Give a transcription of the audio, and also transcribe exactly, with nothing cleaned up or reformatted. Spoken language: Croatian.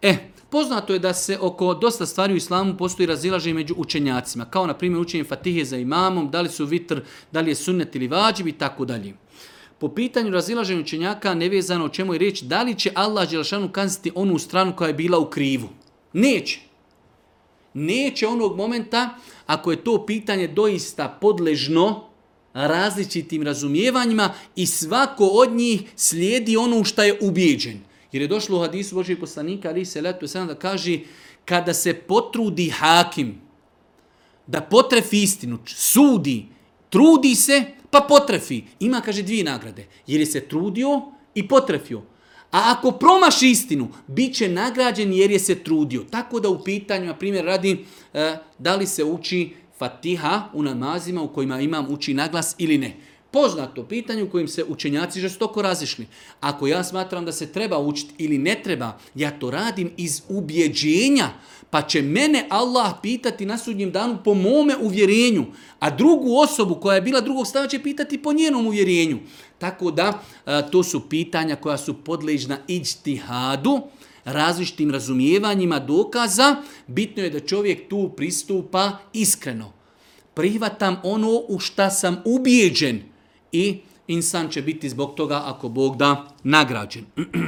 E, poznato je da se oko dosta stvari u islamu postoji razilaženje među učenjacima, kao na primjer učenje Fatihe za imamom, da li su vitr, da li je sunnet ili vađib i tako dalje. Po pitanju razilaženja učenjaka nevezano o čemu je riječ, da li će Allah dželešanu kazniti onu stranu koja je bila u krivu? Neće. Neće onog momenta ako je to pitanje doista podležno različitim razumijevanjima i svako od njih slijedi ono u što je ubijeđen. Jer je došlo u hadisu Božijeg poslanika alejhi selatu vesselam da kaže kada se potrudi hakim da potrefi istinu, sudi, trudi se pa potrefi. Ima, kaže, dvije nagrade. Jer je se trudio i potrefio. A ako promaši istinu, bit će nagrađen jer je se trudio. Tako da u pitanju, na primjer, radi e, da li se uči Fatiha u namazima u kojima imam uči naglas ili ne. Poznato pitanje u kojim se učenjaci žestoko razišli. Ako ja smatram da se treba učiti ili ne treba, ja to radim iz ubjeđenja, pa će mene Allah pitati na sudnjem danu po mome uvjerenju, a drugu osobu koja je bila drugog stava će pitati po njenom uvjerenju. Tako da to su pitanja koja su podležna iđtihadu, različitim razumijevanjima dokaza. Bitno je da čovjek tu pristupa iskreno. Prihvatam ono u šta sam ubijeđen i insan će biti zbog toga, ako Bog da, nagrađen.